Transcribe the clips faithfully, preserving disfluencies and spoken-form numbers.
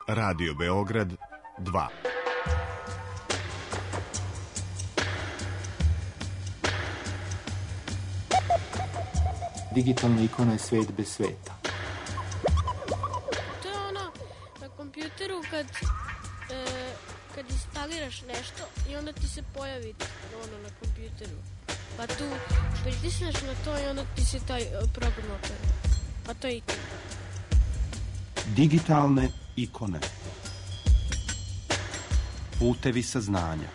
Radio Beograd dva. Digitalna ikona je svet bez sveta. To je ono na kompjuteru kad, e, kad instaliraš nešto i onda ti se pojavi ono na kompjuteru. Pa tu pritisneš na to i onda ti se taj program otvori. A to je ikona. Digitalne ikone. Putevi saznanja.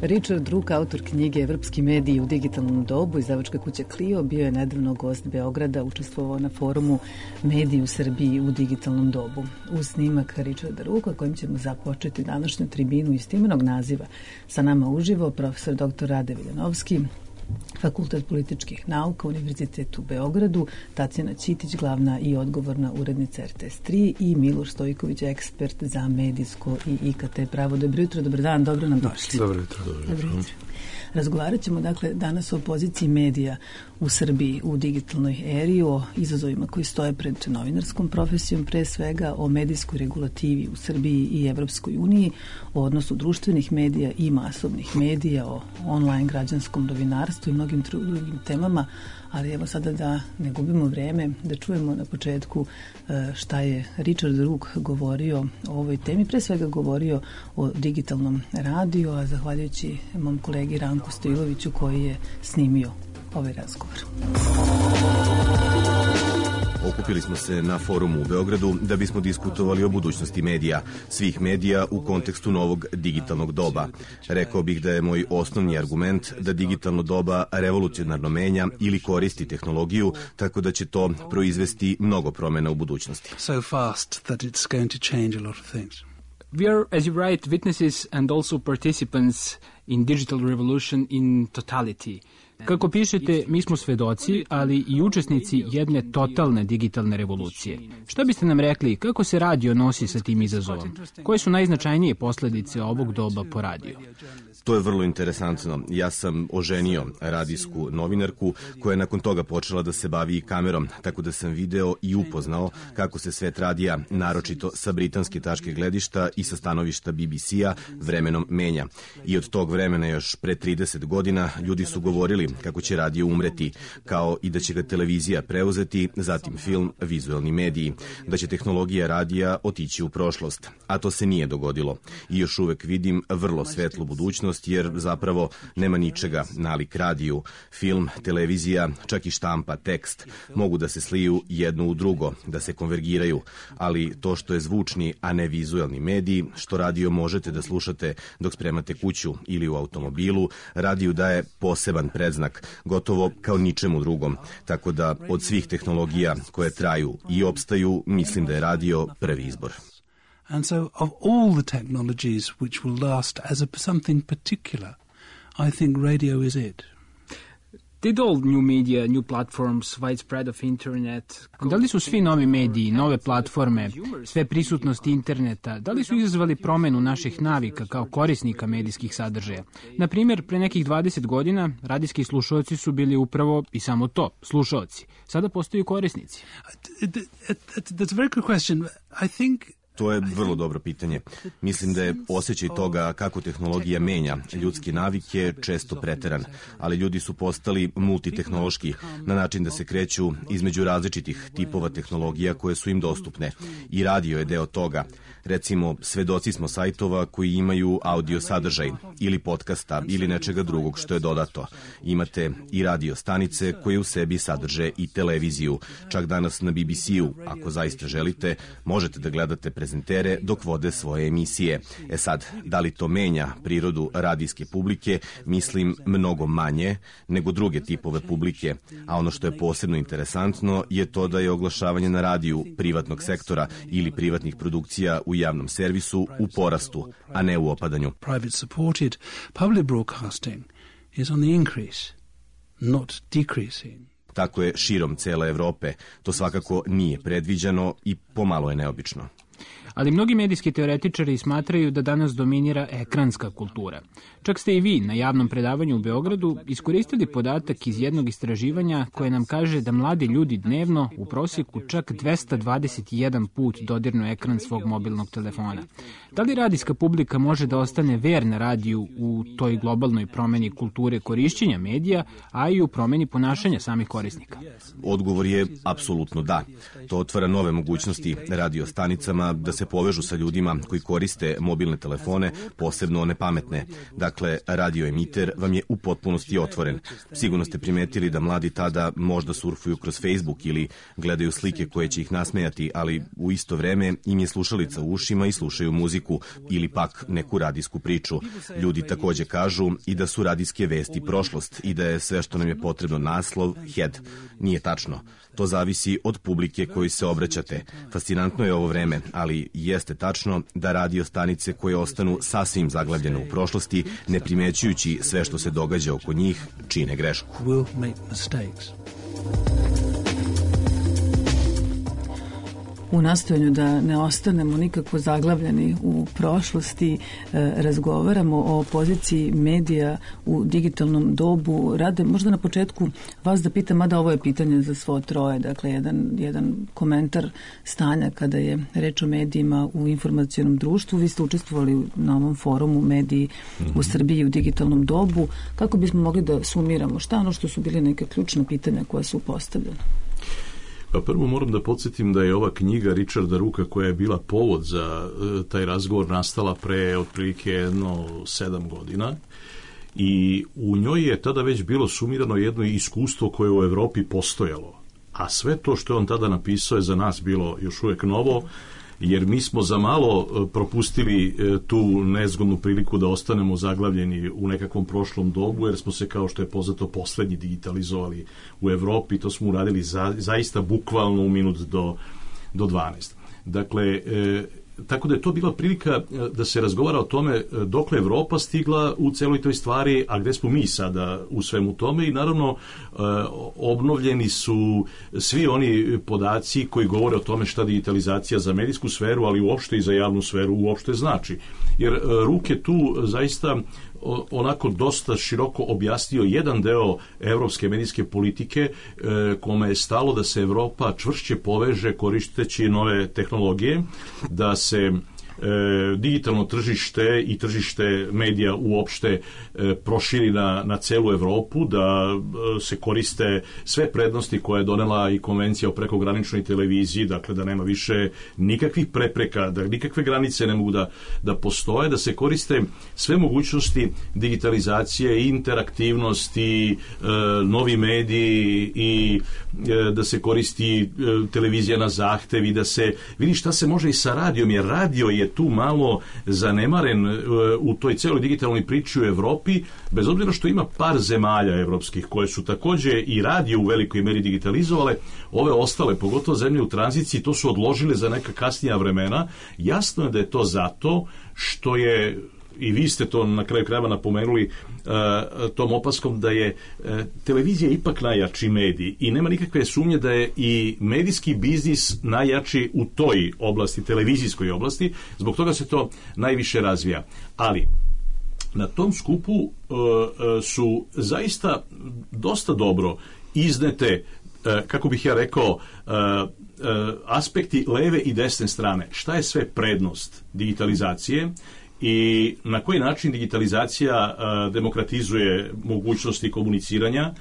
Richard Rook, autor knjige Evropski mediji u digitalnom dobu, izdavačka kuća Clio, bio je nedavno gost Beograda, učestvovao na forumu Mediji u Srbiji u digitalnom dobu. Uz snimak Richarda Rooka, kojim ćemo započeti današnju tribinu istimenog naziva, sa nama uživo profesor doktor Rade Viljanovski, Fakultet političkih nauka, Univerzitet u Beogradu, Tatjana Ćitić, glavna i odgovorna urednica R T S tri i Miloš Stojković, ekspert za medijsko i I K T pravo. Dobro jutro, dobar dan, dobro nam došli. Dobro jutro. Dobro jutro. Razgovarat ćemo dakle danas o poziciji medija u Srbiji u digitalnoj eri, o izazovima koji stoje pred novinarskom profesijom, pre svega o medijskoj regulativi u Srbiji i Evropskoj uniji, o odnosu društvenih medija i masovnih medija, o online građanskom novinarstvu i mnogim drugim temama, ali evo sada da ne gubimo vreme, da čujemo na početku šta je Richard Rook govorio o ovoj temi, pre svega govorio o digitalnom radiju, a zahvaljujući mom kolegi Ranku Stojiloviću koji je snimio ovaj razgovor. Okupili smo se na forumu u Beogradu da bismo diskutovali o budućnosti medija, svih medija u kontekstu novog digitalnog doba. Rekao bih da je moj osnovni argument da digitalno doba revolucionarno menja ili koristi tehnologiju, tako da će to proizvesti mnogo promjena u budućnosti. So fast that it's going to change a lot of things. We are, as you write, witnesses and also participants in digital revolution in totality. Kako pišete, mi smo svedoci, ali i učesnici jedne totalne digitalne revolucije. Šta biste nam rekli, kako se radio nosi sa tim izazovom? Koje su najznačajnije posledice ovog doba po radio? To je vrlo interesantno. Ja sam oženio radijsku novinarku koja je nakon toga počela da se bavi i kamerom, tako da sam video i upoznao kako se svet radija, naročito sa britanske tačke gledišta i sa stanovišta B B C-a, vremenom menja. I od tog vremena još pre trideset godina ljudi su govorili kako će radio umreti, kao i da će ga televizija preuzeti, zatim film, vizuelni mediji, da će tehnologija radija otići u prošlost. A to se nije dogodilo. I još uvek vidim vrlo svetlu budućnost, jer zapravo nema ničega nalik radiju. Film, televizija, čak i štampa, tekst mogu da se sliju jedno u drugo, da se konvergiraju, ali to što je zvučni, a ne vizuelni mediji, što radio možete da slušate dok spremate kuću ili u automobilu, radiju daje poseban predznak, gotovo kao ničemu drugom. Tako da od svih tehnologija koje traju i opstaju, mislim da je radio prvi izbor. And so of all the technologies which will last as a something particular, I think radio is it. Did all new media, new platforms, widespread of internet, da li su svi novi mediji, nove platforme, sve prisutnost interneta, da li su izazvali promenu naših navika kao korisnika medijskih sadržaja? Na primjer, pre nekih dvadeset godina radijski slušaoci su bili upravo i samo to, slušaoci. Sada postaju korisnici. That's a very good question. I think To je vrlo dobro pitanje. Mislim da je osjećaj toga kako tehnologija menja ljudske navike često preteran, ali ljudi su postali multitehnološki na način da se kreću između različitih tipova tehnologija koje su im dostupne. I radio je deo toga. Recimo, svedoci smo sajtova koji imaju audio sadržaj ili podcasta ili nečega drugog što je dodato. Imate i radio stanice koje u sebi sadrže i televiziju. Čak danas na B B C-u, ako zaista želite, možete da gledate prezentere dok vode svoje emisije. E sad, da li to menja prirodu radijske publike? Mislim mnogo manje nego druge tipove publike. A ono što je posebno interesantno je to da je oglašavanje na radiju privatnog sektora ili privatnih produkcija u javnom servisu u porastu, a ne u opadanju. Private supported public broadcasting is on the increase. not decreasing. Tako je širom cele Evrope. To svakako nije predviđeno i pomalo je neobično. Ali mnogi medijski teoretičari smatraju da danas dominira ekranska kultura. Čak ste i vi na javnom predavanju u Beogradu iskoristili podatak iz jednog istraživanja koje nam kaže da mladi ljudi dnevno u prosjeku čak dvesta dvadeset jedan put dodirnu ekran svog mobilnog telefona. Da li radijska publika može da ostane verna radiju u toj globalnoj promeni kulture korišćenja medija, a i u promeni ponašanja samih korisnika? Odgovor je apsolutno da. To otvara nove mogućnosti radio stanicama da se povežu sa ljudima koji koriste mobilne telefone, posebno one pametne. Dakle, radio emiter vam je u potpunosti otvoren. Sigurno ste primetili da mladi tada možda surfuju kroz Facebook ili gledaju slike koje će ih nasmejati, ali u isto vreme im je slušalica u ušima i slušaju muziku ili pak neku radijsku priču. Ljudi takođe kažu i da su radijske vesti prošlost i da je sve što nam je potrebno naslov, head. Nije tačno. To zavisi od publike koju se obraćate. Fascinantno je ovo vreme, ali jeste tačno da radio stanice koje ostanu sasvim zaglavljene u prošlosti, ne primećujući sve što se događa oko njih, čine grešku. Will make mistakes. U nastojanju da ne ostanemo nikako zaglavljeni u prošlosti, razgovaramo o poziciji medija u digitalnom dobu. Rade, možda na početku vas da pitam, mada ovo je pitanje za svo troje, dakle jedan, jedan komentar stanja kada je reč o medijima u informacionom društvu. Vi ste učestvovali na ovom forumu mediji u Srbiji u digitalnom dobu. Kako bismo mogli da sumiramo šta ono što su bili neke ključne pitanja koja su postavljene? Pa prvo moram da podsjetim da je ova knjiga Richarda Rooka, koja je bila povod za e, taj razgovor, nastala pre otprilike jedno sedam godina i u njoj je tada već bilo sumirano jedno iskustvo koje u Evropi postojalo. A sve to što je on tada napisao je za nas bilo još uvek novo, jer mi smo za malo propustili tu nezgodnu priliku da ostanemo zaglavljeni u nekakvom prošlom dobu, jer smo se, kao što je poznato, poslednji digitalizovali u Evropi. To smo uradili za, zaista bukvalno u minut do, do dvanaest. Dakle, e, tako da je to bila prilika da se razgovara o tome dokle Evropa stigla u celoj toj stvari, a gde smo mi sada u svemu tome, i naravno obnovljeni su svi oni podaci koji govore o tome šta digitalizacija za medijsku sferu, ali uopšte i za javnu sferu uopšte znači. Jer Rook je tu zaista onako dosta široko objasnio jedan deo evropske medijske politike kome je stalo da se Evropa čvršće poveže koristeći nove tehnologije, da se E, digitalno tržište i tržište medija uopšte e, proširi na, na celu Evropu, da e, se koriste sve prednosti koje je donela i konvencija o prekograničnoj televiziji, dakle da nema više nikakvih prepreka, da nikakve granice ne mogu da, da postoje, da se koriste sve mogućnosti digitalizacije, interaktivnosti, e, novi mediji i e, da se koristi e, televizija na zahtev i da se vidi šta se može i sa radijom, jer radio je tu malo zanemaren u toj celoj digitalnoj priči u Evropi, bez obzira što ima par zemalja evropskih koje su takođe i radio u velikoj meri digitalizovale, ove ostale, pogotovo zemlje u tranziciji, to su odložile za neka kasnija vremena. Jasno je da je to zato što je, i vi ste to na kraju krajeva napomenuli uh, tom opaskom, da je uh, televizija ipak najjači medij i nema nikakve sumnje da je i medijski biznis najjači u toj oblasti, televizijskoj oblasti, zbog toga se to najviše razvija. Ali na tom skupu uh, uh, su zaista dosta dobro iznete, uh, kako bih ja rekao, uh, uh, aspekti leve i desne strane. Šta je sve prednost digitalizacije i na koji način digitalizacija uh, demokratizuje mogućnosti komuniciranja,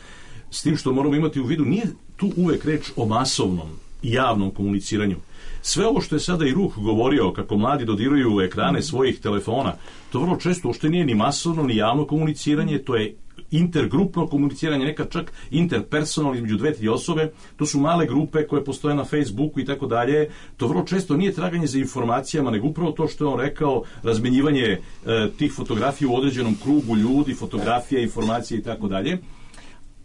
s tim što moramo imati u vidu, nije tu uvek reč o masovnom i javnom komuniciranju. Sve ovo što je sada i Rook govorio, kako mladi dodiruju ekrane svojih telefona, to vrlo često uopšte nije ni masovno, ni javno komuniciranje, to je intergrupno komuniciranje, nekad čak interpersonalno između dve, tri osobe, to su male grupe koje postoje na Facebooku i tako dalje. To vrlo često nije traganje za informacijama, nego upravo to što je on rekao, razmenjivanje e, tih fotografija u određenom krugu ljudi, fotografija, informacije i tako dalje.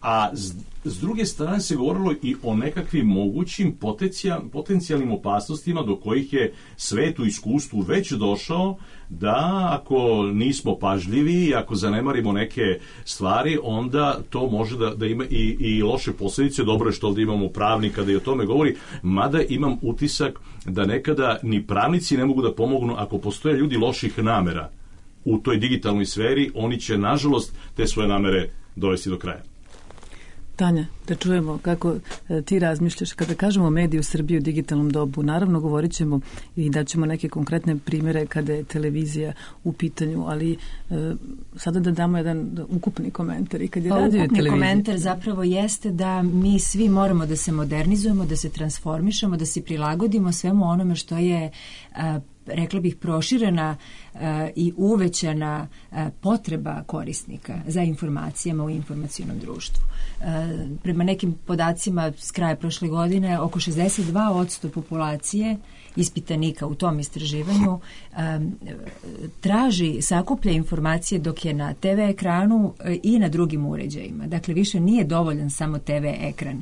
a s, s druge strane se govorilo i o nekakvim mogućim potencijal, potencijalnim opasnostima do kojih je svet u iskustvu već došao, da ako nismo pažljivi i ako zanemarimo neke stvari, onda to može da, da ima i, i loše posljedice. Dobro je što ovdje imamo pravnika da i o tome govori, mada imam utisak da nekada ni pravnici ne mogu da pomognu ako postoje ljudi loših namera u toj digitalnoj sferi, oni će nažalost te svoje namere dovesti do kraja. Tanja, da čujemo kako e, ti razmišljaš kada kažemo mediji u Srbiji u digitalnom dobu. Naravno, govorit ćemo i daćemo neke konkretne primjere kada je televizija u pitanju, ali e, sada da damo jedan ukupni komentar. I kad je pa, radio ukupni televizija... komentar zapravo jeste da mi svi moramo da se modernizujemo, da se transformišemo, da se prilagodimo svemu onome što je a, rekla bih proširena uh, i uvećana uh, potreba korisnika za informacijama u informacionom društvu. Uh, prema nekim podacima s kraja prošle godine oko šezdeset dva posto populacije ispitanika u tom istraživanju um, traži, sakuplja informacije dok je na te ve ekranu uh, i na drugim uređajima. Dakle, više nije dovoljan samo te ve ekran,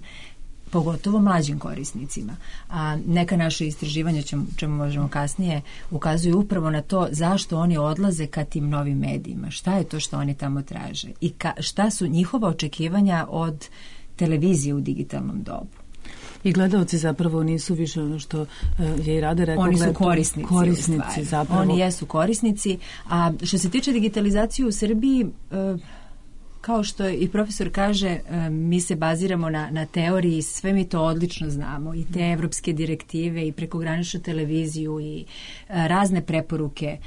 pogotovo mlađim korisnicima. A neka naše istraživanja, čemu, čemu možemo kasnije, ukazuju upravo na to zašto oni odlaze ka tim novim medijima. Šta je to što oni tamo traže? I ka, šta su njihova očekivanja od televizije u digitalnom dobu? I gledalci zapravo nisu više ono što je i Rade rekao. Oni su korisnici. Korisnici zapravo. Oni jesu korisnici. A što se tiče digitalizacije u Srbiji, kao što i profesor kaže, mi se baziramo na, na teoriji, sve mi to odlično znamo, i te evropske direktive i prekograničnu televiziju i razne preporuke.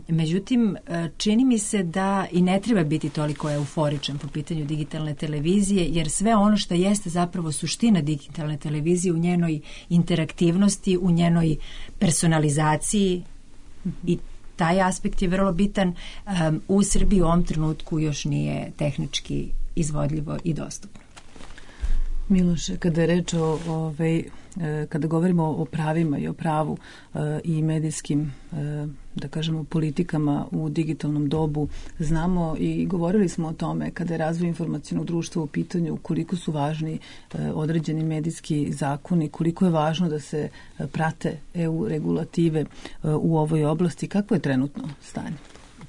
Međutim, čini mi se da i ne treba biti toliko euforičan po pitanju digitalne televizije, jer sve ono što jeste zapravo suština digitalne televizije u njenoj interaktivnosti, u njenoj personalizaciji, i taj aspekt je vrlo bitan, um, u Srbiji u ovom trenutku još nije tehnički izvodljivo i dostupno. Miloše, kada je reč o, ovaj, kada govorimo o pravima i o pravu i medijskim, da kažemo, politikama u digitalnom dobu, znamo i govorili smo o tome kada je razvoj informacionog društva u pitanju, koliko su važni određeni medijski zakoni, koliko je važno da se prate e u regulative u ovoj oblasti. Kako je trenutno stanje?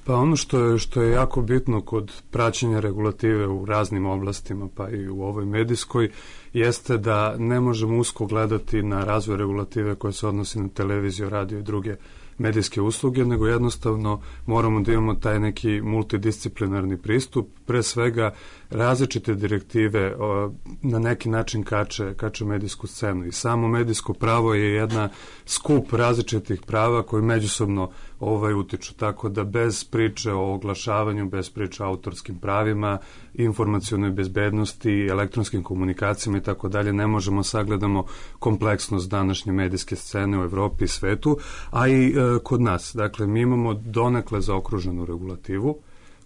Pa ono što je, što je jako bitno kod praćenja regulative u raznim oblastima, pa i u ovoj medijskoj, jeste da ne možemo usko gledati na razvoj regulative koja se odnosi na televiziju, radio i druge medijske usluge, nego jednostavno moramo da imamo taj neki multidisciplinarni pristup. Pre svega različite direktive o, na neki način kače, kače medijsku scenu, i samo medijsko pravo je jedna skup različitih prava koji međusobno ovaj utiču, tako da bez priče o oglašavanju, bez priče o autorskim pravima, informacionoj bezbednosti, elektronskim komunikacijama i tako dalje, ne možemo sagledamo kompleksnost današnje medijske scene u Evropi i svetu, a i e, kod nas. Dakle, mi imamo donekle zaokruženu regulativu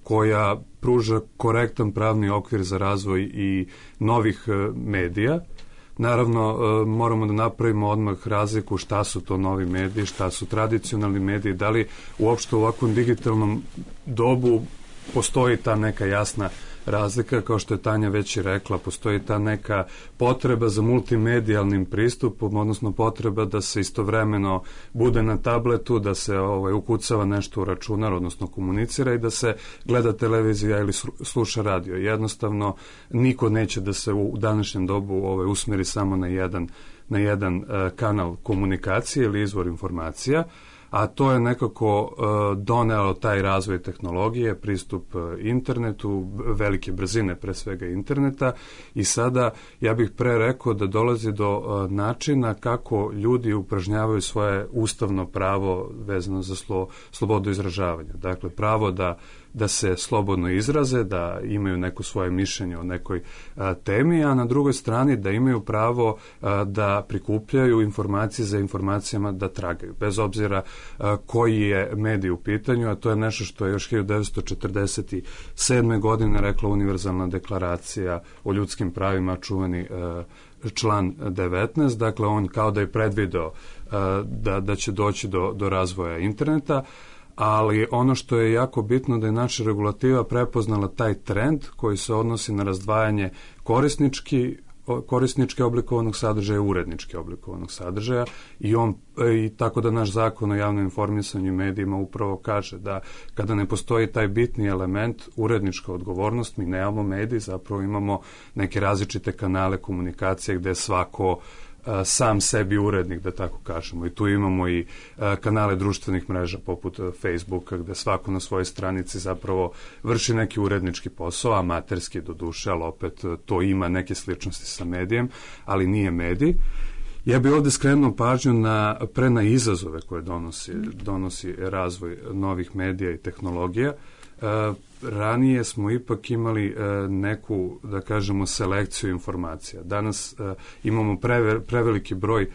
koja pruža korektan pravni okvir za razvoj i novih e, medija. Naravno, e, moramo da napravimo odmah razliku šta su to novi mediji, šta su tradicionalni mediji, da li uopšte u ovakvom digitalnom dobu postoji ta neka jasna razlika, kao što je Tanja već i rekla, postoji ta neka potreba za multimedijalnim pristupom, odnosno potreba da se istovremeno bude na tabletu, da se ovaj, ukucava nešto u računar, odnosno komunicira, i da se gleda televizija ili sluša radio. Jednostavno, niko neće da se u današnjem dobu ovaj, usmeri samo na jedan, na jedan uh, kanal komunikacije ili izvor informacija, a to je nekako uh, donelo taj razvoj tehnologije, pristup uh, internetu, velike brzine pre svega interneta, i sada ja bih pre rekao da dolazi do uh, načina kako ljudi upražnjavaju svoje ustavno pravo vezano za slo, slobodu izražavanja. Dakle, pravo da da se slobodno izraze, da imaju neko svoje mišljenje o nekoj a, temi, a na drugoj strani da imaju pravo a, da prikupljaju informacije za informacijama, da tragaju, bez obzira a, koji je medij u pitanju, a to je nešto što je još hiljadu devetsto četrdeset sedme. godine rekla Univerzalna deklaracija o ljudskim pravima, čuveni a, član devetnaest. Dakle, on kao da je predvideo a, da, da će doći do, do razvoja interneta, ali ono što je jako bitno da je naša regulativa prepoznala taj trend koji se odnosi na razdvajanje korisnički korisnički oblikovanog sadržaja i urednički oblikovanog sadržaja i on i tako da naš zakon o javnom informisanju i medijima upravo kaže da kada ne postoji taj bitni element urednička odgovornost, mi nemamo medij, zapravo imamo neke različite kanale komunikacije gde svako sam sebi urednik, da tako kažemo. I tu imamo i kanale društvenih mreža poput Facebooka, gde svako na svojoj stranici zapravo vrši neki urednički posao, amaterski do duše, ali opet to ima neke sličnosti sa medijem, ali nije medij. Ja bih ovde skrenuo pažnju na, pre na izazove koje donosi, donosi razvoj novih medija i tehnologija. E, ranije smo ipak imali e, neku, da kažemo, selekciju informacija. Danas e, imamo preve, preveliki broj e,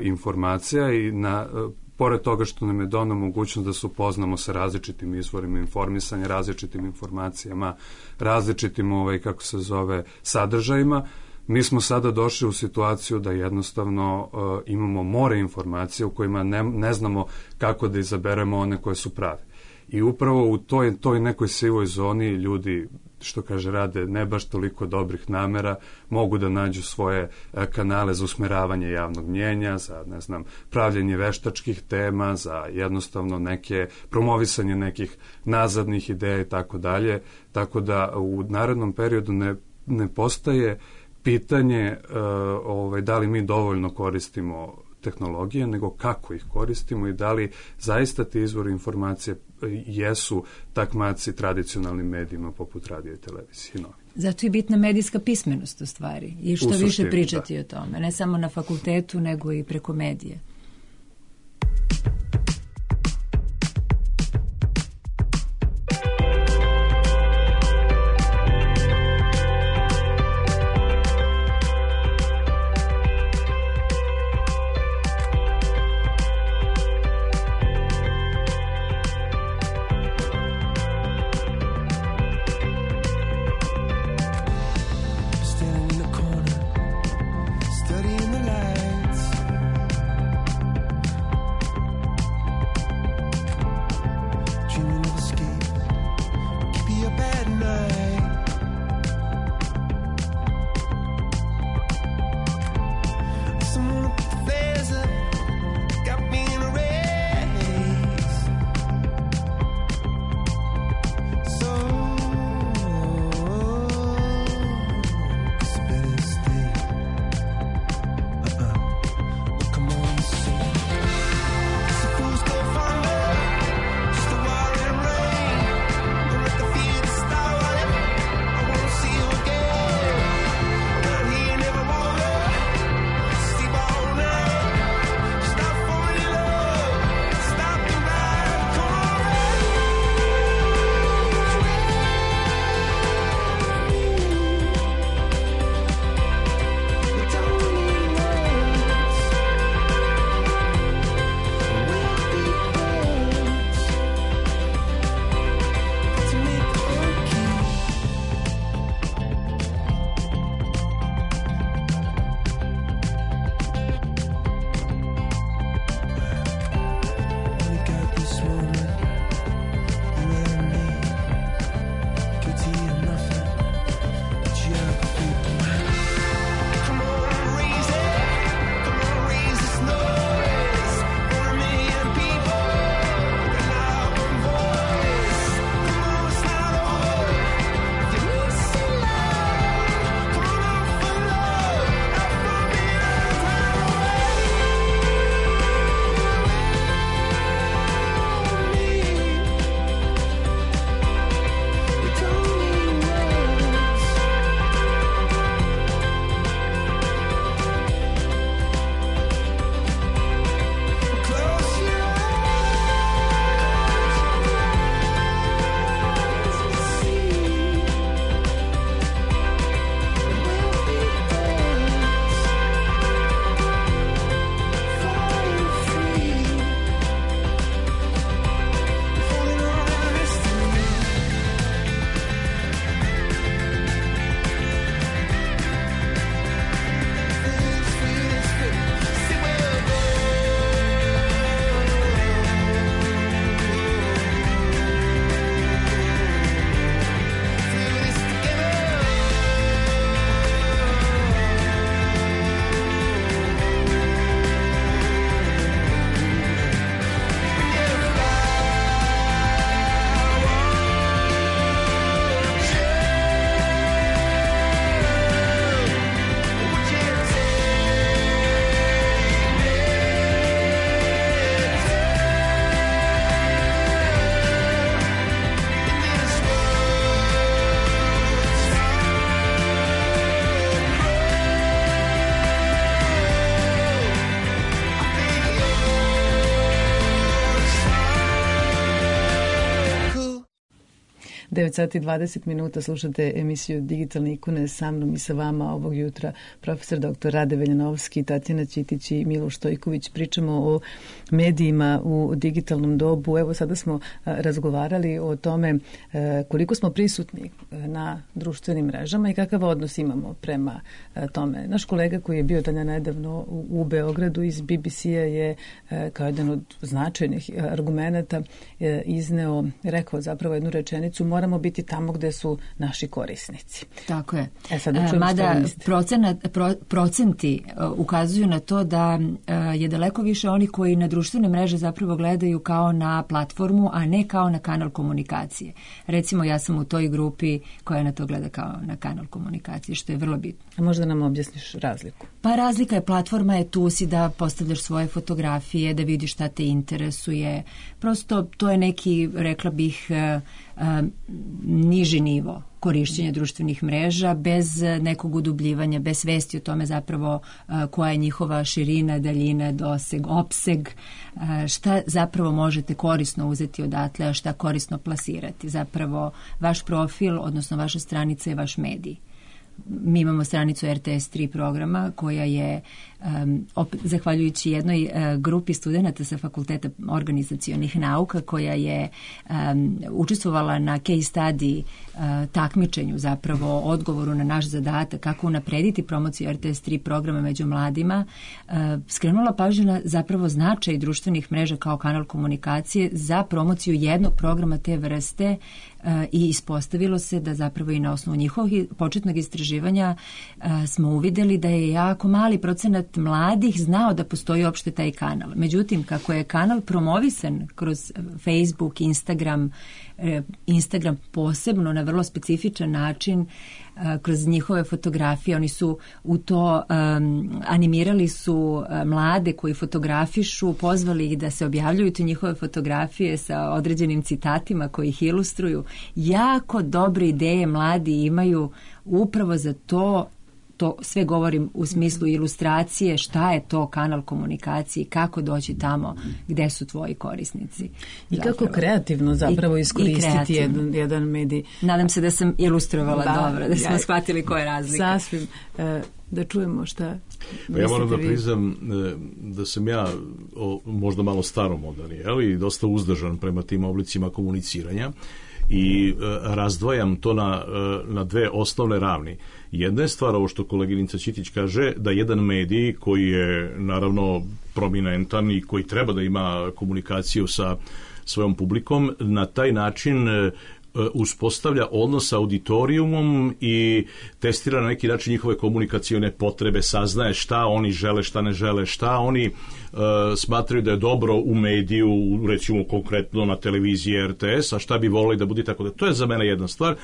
informacija i na, e, pored toga što nam je dano mogućnost da se upoznamo sa različitim izvorima informisanja, različitim informacijama, različitim, ovaj, kako se zove, sadržajima, mi smo sada došli u situaciju da jednostavno uh, imamo more informacija u kojima ne, ne znamo kako da izaberemo one koje su prave. I upravo u toj, toj nekoj sivoj zoni ljudi, što kaže, rade ne baš toliko dobrih namera, mogu da nađu svoje uh, kanale za usmeravanje javnog mnjenja, za, ne znam, pravljenje veštačkih tema, za jednostavno neke, promovisanje nekih nazadnih ideja i tako dalje. Tako da u narednom periodu ne, ne postaje pitanje uh, ovaj, da li mi dovoljno koristimo tehnologije, nego kako ih koristimo i da li zaista ti izvori informacije jesu takmaci tradicionalnim medijima poput radija i televizije i novina. Zato je bitna medijska pismenost u stvari i što suštini, više pričati da. o tome, ne samo na fakultetu nego i preko medije. Standing in the corner, studying the lights. devet sati i dvadeset minuta, slušate emisiju Digitalne ikone, sa mnom i sa vama ovog jutra profesor doktor Rade Veljanovski, Tatjana Ćitić i Miloš Stojković. Pričamo o medijima u digitalnom dobu. Evo sada smo razgovarali o tome koliko smo prisutni na društvenim mrežama i kakav odnos imamo prema tome. Naš kolega koji je bio dalje nedavno u Beogradu iz B B C-a je kao jedan od značajnih argumenata izneo, rekao zapravo jednu rečenicu: moramo biti tamo gde su naši korisnici. Tako je. E, sad da čujemo. Mada procenat, pro, procenti uh, ukazuju na to da uh, je daleko više oni koji na društvene mreže zapravo gledaju kao na platformu, a ne kao na kanal komunikacije. Recimo, ja sam u toj grupi koja na to gleda kao na kanal komunikacije, što je vrlo bitno. A možda nam objasniš razliku? Pa razlika je, platforma je tu si da postavljaš svoje fotografije, da vidiš šta te interesuje. Prosto to je neki, rekla bih, uh, uh, niži nivo korišćenja društvenih mreža, bez nekog udubljivanja, bez svesti o tome zapravo uh, koja je njihova širina, daljina, doseg, opseg, uh, šta zapravo možete korisno uzeti odatle, a šta korisno plasirati. Zapravo vaš profil, odnosno vaša stranica je vaš medij. Mi imamo stranicu R T S tri programa koja je, um, opet, zahvaljujući jednoj uh, grupi studenta sa Fakulteta organizacionih nauka, koja je um, učestvovala na case study uh, takmičenju, zapravo odgovoru na naš zadatak kako unaprediti promociju R T S tri programa među mladima, uh, skrenula pažnju na zapravo značaj društvenih mreža kao kanal komunikacije za promociju jednog programa te vrste uh, i ispostavilo se da zapravo i na osnovu njihovog početnog istraživanja uh, smo uvideli da je jako mali procenat mladih znao da postoji uopšte taj kanal. Međutim, kako je kanal promovisan kroz Facebook, Instagram, Instagram posebno na vrlo specifičan način, kroz njihove fotografije, oni su u to um, animirali su uh, mlade koji fotografišu, pozvali ih da se objavljuju te njihove fotografije sa određenim citatima koji ih ilustruju. Jako dobre ideje mladi imaju upravo za to. To sve govorim u smislu ilustracije, šta je to kanal komunikacije, kako doći tamo gde su tvoji korisnici. I zapravo kako kreativno zapravo iskoristiti jedan, jedan medij. Nadam se da sam ilustrovala da, dobro, da smo ja, shvatili koja je razlika. Sasvim. E, da čujemo šta. Pa ja moram da priznam da sam ja o, možda malo staromodan, i dosta uzdržan prema tim oblicima komuniciranja i e, razdvajam to na, e, na dve osnovne ravni. Jedna je stvar, ovo što koleginica Ćitić kaže, da jedan medij koji je naravno prominentan i koji treba da ima komunikaciju sa svojom publikom, na taj način e, uspostavlja odnos sa auditorijumom i testira na neki način njihove komunikacione potrebe, saznaje šta oni žele, šta ne žele, šta oni uh, smatraju da je dobro u mediju, recimo konkretno na televiziji R T S, a šta bi volili da bude, tako da. To je za mene jedna stvar.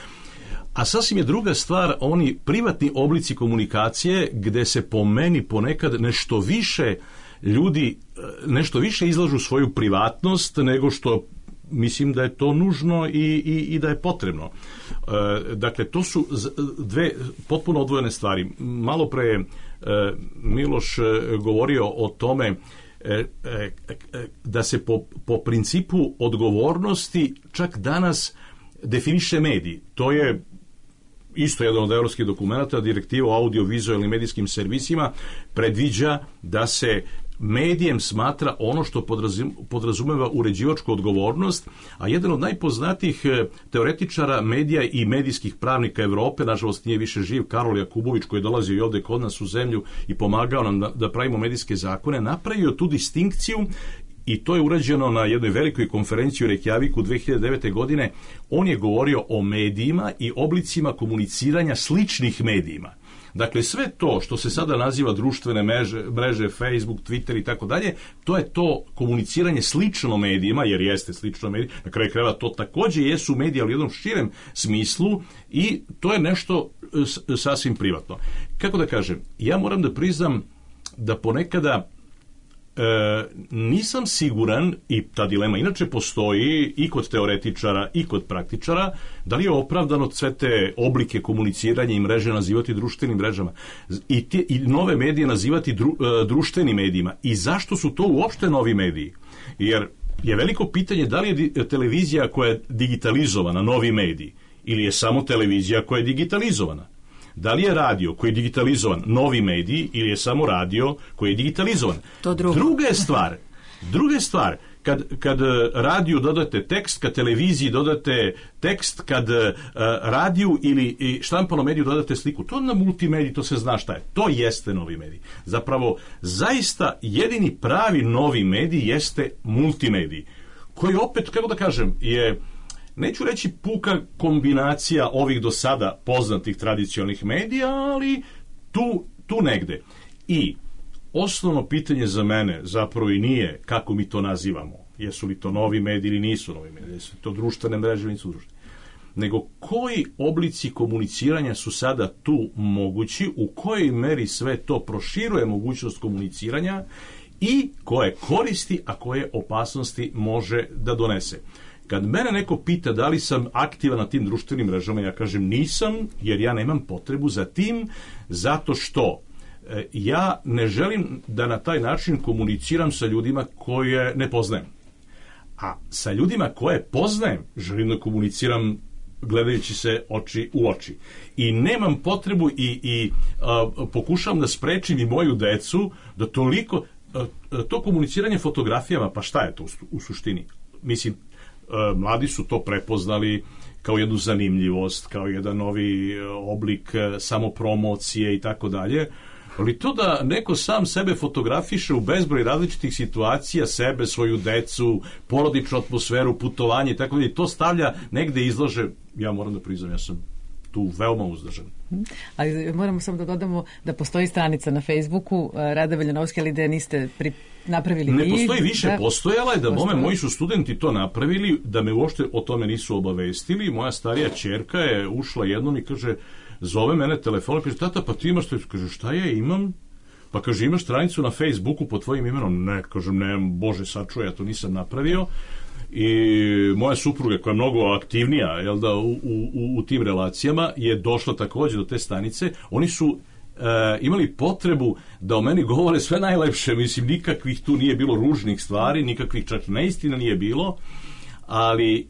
A sasvim je druga stvar oni privatni oblici komunikacije gde se po meni ponekad nešto više ljudi, nešto više izlažu svoju privatnost nego što mislim da je to nužno i, i, i da je potrebno. E, dakle, to su dve potpuno odvojene stvari. Malo pre e, Miloš govorio o tome e, e, da se po, po principu odgovornosti čak danas definiše medij. To je isto jedan od evropskih dokumenta, direktiva o audio-vizualnim medijskim servisima predviđa da se medijem smatra ono što podrazumeva uređivačku odgovornost, a jedan od najpoznatijih teoretičara medija i medijskih pravnika Evrope, nažalost nije više živ, Karol Jakubović, koji je dolazio i ovde kod nas u zemlju i pomagao nam da, da pravimo medijske zakone, napravio tu distinkciju i to je urađeno na jednoj velikoj konferenciji u Reykjaviku dve hiljade devete. godine. On je govorio o medijima i oblicima komuniciranja sličnih medijima. Dakle, sve to što se sada naziva društvene mreže, mreže Facebook, Twitter i tako dalje, to je to komuniciranje slično medijima, jer jeste slično medijima, na kraju krajeva to takođe jesu mediji, ali u jednom širem smislu, i to je nešto sasvim privatno. Kako da kažem, ja moram da priznam da ponekada E, nisam siguran, i ta dilema inače postoji i kod teoretičara i kod praktičara, da li je opravdano sve te oblike komuniciranja i mreže nazivati društvenim mrežama i, te, i nove medije nazivati dru, e, društvenim medijima, i zašto su to uopšte novi mediji. Jer je veliko pitanje da li je televizija koja je digitalizovana, novi medij, ili je samo televizija koja je digitalizovana. Da li je radio koji je digitalizovan, novi medij, ili je samo radio koji je digitalizovan. To drugo. Druga je stvar, druga je stvar, kad, kad radiju dodate tekst, kad televiziji dodate tekst, kad uh, radiju ili štampanom mediju dodate sliku, to na multimediji, to se zna šta je. To jeste novi medij. Zapravo, zaista jedini pravi novi medij jeste multimedij, koji opet, kako da kažem, je, neću reći puka kombinacija ovih do sada poznatih tradicionalnih medija, ali tu, tu negde. I osnovno pitanje za mene zapravo i nije kako mi to nazivamo. Jesu li to novi mediji ili nisu novi mediji? Jesu to društvene mreže ili nisu društvene? Nego koji oblici komuniciranja su sada tu mogući, u kojoj meri sve to proširuje mogućnost komuniciranja i koje koristi, a koje opasnosti može da donese. Kad mene neko pita da li sam aktivan na tim društvenim mrežama, ja kažem nisam, jer ja nemam potrebu za tim, zato što ja ne želim da na taj način komuniciram sa ljudima koje ne poznajem. A sa ljudima koje poznajem želim da komuniciram gledajući se oči u oči. I nemam potrebu i, i a, pokušavam da sprečim i moju decu da toliko, a, to komuniciranje fotografijama, pa šta je to u, u suštini? Mislim, a, mladi su to prepoznali kao jednu zanimljivost, kao jedan novi oblik samopromocije i tako dalje. Ali to da neko sam sebe fotografiše u bezbroj različitih situacija, sebe, svoju decu, porodičnu atmosferu, putovanje i tako dalje, to stavlja negde izlaže, ja moram da priznam, ja sam tu veoma uzdržan. Ali moramo samo da dodamo da postoji stranica na Facebooku Rada Veljanovski, ali da niste pri... napravili ne vi. Ne postoji više, da, postojala je da mome, moji su studenti to napravili, da me uopšte o tome nisu obavestili. Moja starija ćerka je ušla jednom i kaže, zove mene telefon, kaže, tata, pa ti imaš to? Kaže, šta je, imam? Pa kaže, imaš stranicu na Facebooku pod tvojim imenom? Ne, kažem, ne, Bože, sačuvaj, ja to nisam napravio. I moja supruga, koja je mnogo aktivnija, jel da, u, u, u tim relacijama, je došla takođe do te stanice. Oni su e, imali potrebu da o meni govore sve najlepše, mislim, nikakvih tu nije bilo ružnih stvari, nikakvih čak neistina nije bilo, ali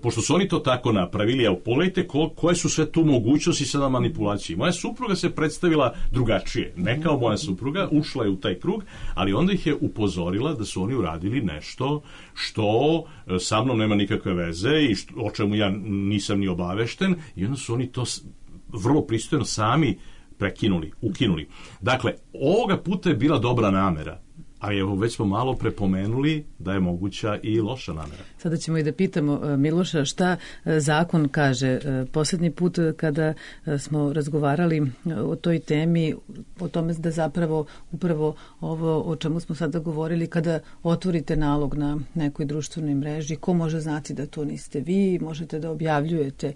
pošto su oni to tako napravili, evo, pogledajte ko, koje su sve tu mogućnosti sada manipulacije. Moja supruga se predstavila drugačije, ne kao moja supruga, ušla je u taj krug, ali onda ih je upozorila da su oni uradili nešto što sa mnom nema nikakve veze i što, o čemu ja nisam ni obavešten, i onda su oni to vrlo pristojno sami prekinuli, ukinuli. Dakle, ovoga puta je bila dobra namera, ali evo, već smo malo prepomenuli da je moguća i loša namera. Sada ćemo i da pitamo Miloša šta zakon kaže. Poslednji put kada smo razgovarali o toj temi, o tome da zapravo upravo ovo o čemu smo sada govorili, kada otvorite nalog na nekoj društvenoj mreži, ko može znati da to niste vi, možete da objavljujete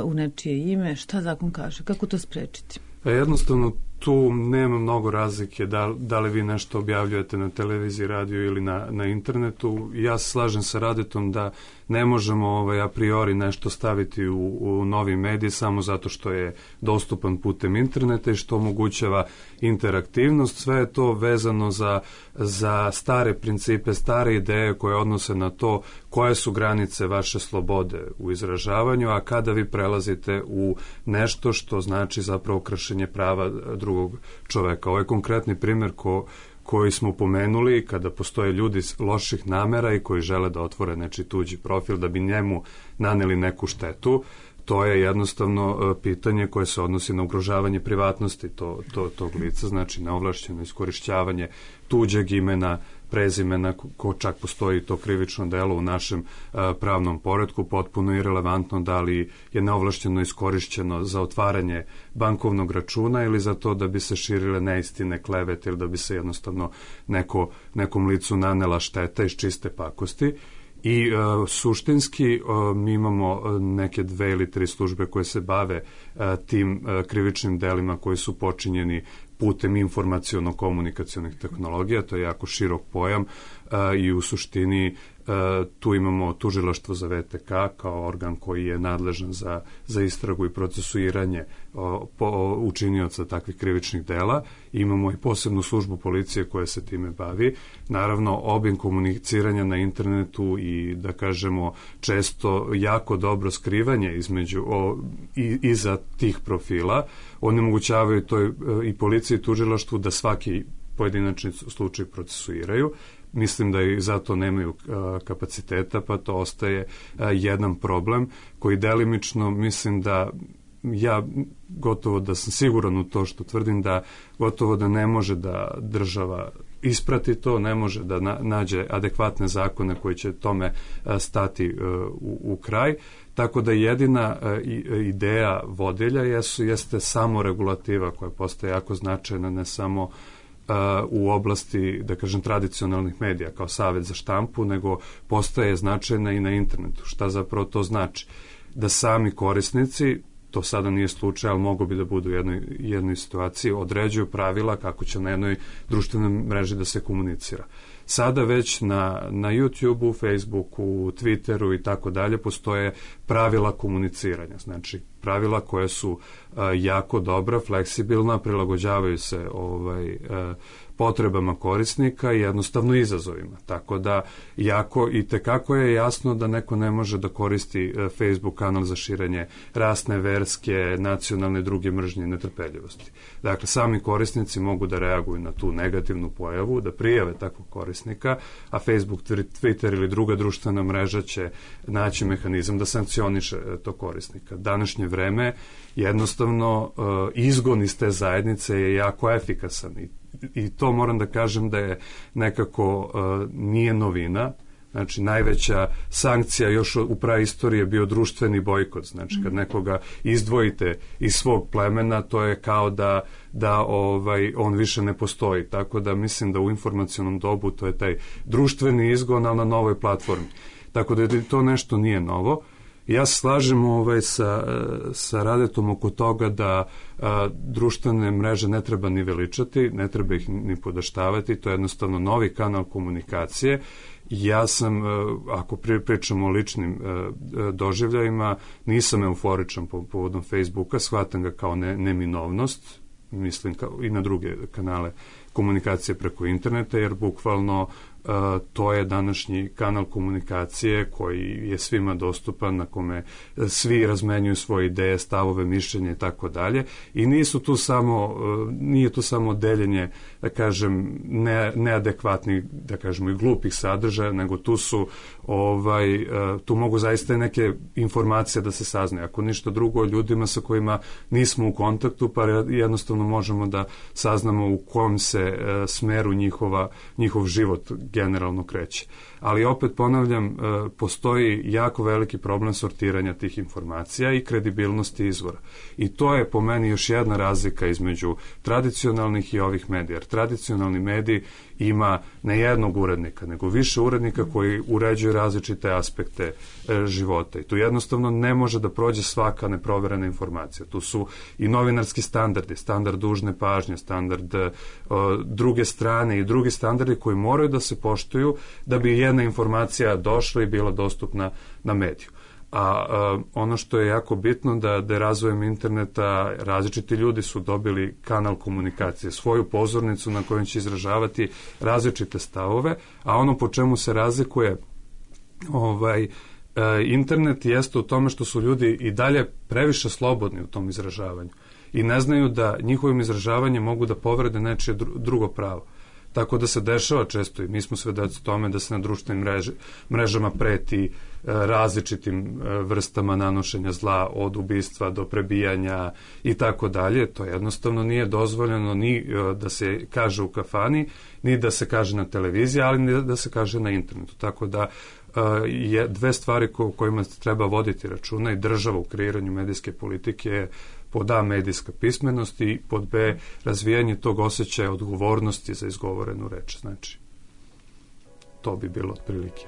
u nečije ime, šta zakon kaže, kako to sprečiti? Jednostavno, tu nema mnogo razlike da, da li vi nešto objavljujete na televiziji, radiju ili na, na internetu. Ja se slažem sa Radetom da ne možemo ovaj, a priori nešto staviti u, u novi medij samo zato što je dostupan putem interneta i što omogućava interaktivnost. Sve je to vezano za, za stare principe, stare ideje koje odnose na to koje su granice vaše slobode u izražavanju, a kada vi prelazite u nešto što znači zapravo kršenje prava drugog čoveka. Ovo je konkretni primjer ko, koji smo pomenuli kada postoje ljudi loših namera i koji žele da otvore nečiji tuđi profil da bi njemu naneli neku štetu. To je jednostavno pitanje koje se odnosi na ugrožavanje privatnosti to, to, tog lica, znači neovlašćeno iskorišćavanje tuđeg imena, prezimena, ko čak postoji to krivično delo u našem a, pravnom poretku, potpuno irelevantno da li je neovlašćeno iskorišćeno za otvaranje bankovnog računa ili za to da bi se širile neistine, klevete ili da bi se jednostavno neko, nekom licu nanela šteta iz čiste pakosti. I uh, suštinski uh, mi imamo neke dve ili tri službe koje se bave uh, tim uh, krivičnim delima koji su počinjeni putem informaciono-komunikacionih tehnologija, to je jako širok pojam. i u suštini tu imamo tužilaštvo za V T K kao organ koji je nadležan za, za istragu i procesuiranje o, po, učinioca takvih krivičnih dela. Imamo i posebnu službu policije koja se time bavi. Naravno, obim komuniciranja na internetu i, da kažemo, često jako dobro skrivanje između, o, i, iza tih profila onemogućavaju to i policiji i tužilaštvu da svaki pojedinačni slučaj procesuiraju. Mislim da i zato nemaju a, kapaciteta, pa to ostaje a, jedan problem koji delimično mislim da ja gotovo da sam siguran u to što tvrdim da gotovo da ne može da država isprati to, ne može da na, nađe adekvatne zakone koji će tome a, stati a, u, u kraj. Tako da jedina a, i, ideja vodilja jesu, jeste samo regulativa koja postaje jako značajna, ne samo u oblasti, da kažem, tradicionalnih medija kao Savet za štampu, nego postaje značajna i na internetu. Šta zapravo to znači? Da sami korisnici, to sada nije slučaj, ali mogu bi da budu u jednoj, jednoj situaciji, određuju pravila kako će na jednoj društvenoj mreži da se komunicira. Sada već na, na YouTubeu, Facebooku, Twitteru i tako dalje postoje pravila komuniciranja. Znači, pravila koje su a, jako dobra, fleksibilna, prilagođavaju se ovaj, a, potrebama korisnika i jednostavno izazovima. Tako da jako i tekako je jasno da neko ne može da koristi a, Facebook kanal za širenje rasne, verske, nacionalne i druge mržnje i netrpeljivosti. Dakle, sami korisnici mogu da reaguju na tu negativnu pojavu, da prijave takvog korisnika, a Facebook, Twitter ili druga društvena mreža će naći mehanizam da sankcioniše to korisnika. Današnje vreme jednostavno uh, izgon iz te zajednice je jako efikasan i, i to moram da kažem da je nekako uh, nije novina. Znači, najveća sankcija još u praistoriji je bio društveni bojkot. Znači, kad nekoga izdvojite iz svog plemena, to je kao da, da ovaj, on više ne postoji. Tako da mislim da u informacionom dobu to je taj društveni izgon, ali na novoj platformi. Tako da to nešto nije novo. Ja se slažem ovaj, sa, sa Radetom oko toga da a, društvene mreže ne treba ni veličati, ne treba ih ni podaštavati, to je jednostavno novi kanal komunikacije. Ja sam, ako pričamo o ličnim doživljajima, nisam euforičan po povodom Facebooka, shvatam ga kao ne, neminovnost, mislim kao i na druge kanale komunikacije preko interneta, jer bukvalno Uh, to je današnji kanal komunikacije koji je svima dostupan, na kome svi razmenjuju svoje ideje, stavove, mišljenje i tako dalje. I nisu tu samo, uh, nije tu samo deljenje, da kažem, ne, neadekvatnih, da kažemo, i glupih sadržaja, nego tu su, ovaj, uh, tu mogu zaista i neke informacije da se saznaju. Ako ništa drugo, ljudima sa kojima nismo u kontaktu, pa jednostavno možemo da saznamo u kom se uh, smeru njihova, njihov život generalno kreće. Ali opet ponavljam, postoji jako veliki problem sortiranja tih informacija i kredibilnosti izvora. I to je po meni još jedna razlika između tradicionalnih i ovih medija. Jer tradicionalni mediji ima ne jednog urednika, nego više urednika koji uređuju različite aspekte e, života. I tu jednostavno ne može da prođe svaka neproverena informacija. Tu su i novinarski standardi, standard dužne pažnje, standard e, druge strane i drugi standardi koji moraju da se poštuju da bi jedna informacija došla i bila dostupna na mediju. A, a ono što je jako bitno da, da razvojem interneta različiti ljudi su dobili kanal komunikacije, svoju pozornicu na kojoj će izražavati različite stavove, a ono po čemu se razlikuje ovaj, a, internet jeste u tome što su ljudi i dalje previše slobodni u tom izražavanju i ne znaju da njihovim izražavanjem mogu da povrede nečije drugo pravo. Tako da se dešava često i mi smo svedoci tome da se na društvenim mrež, mrežama preti e, različitim e, vrstama nanošenja zla, od ubistva do prebijanja i tako dalje. To jednostavno nije dozvoljeno ni e, da se kaže u kafani, ni da se kaže na televiziji, ali ni da se kaže na internetu. Tako da e, je dve stvari ko, kojima treba voditi računa i država u kreiranju medijske politike je pod A medijska pismenost i pod B razvijanje tog osjećaja odgovornosti za izgovorenu reč. Znači, to bi bilo otprilike.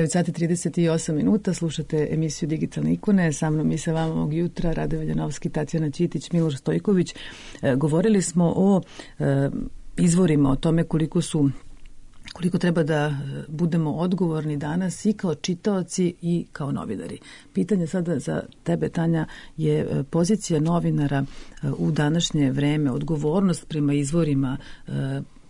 devet sati trideset osam minuta, slušate emisiju Digitalne ikone, sa mnom i sa vama ovog jutra, Rade Veljanovski, Tatjana Ćitić, Miloš Stojković. E, govorili smo o e, izvorima, o tome koliko su koliko treba da budemo odgovorni danas i kao čitaoci i kao novinari. Pitanje sada za tebe, Tanja, je pozicija novinara u današnje vreme, odgovornost prema izvorima,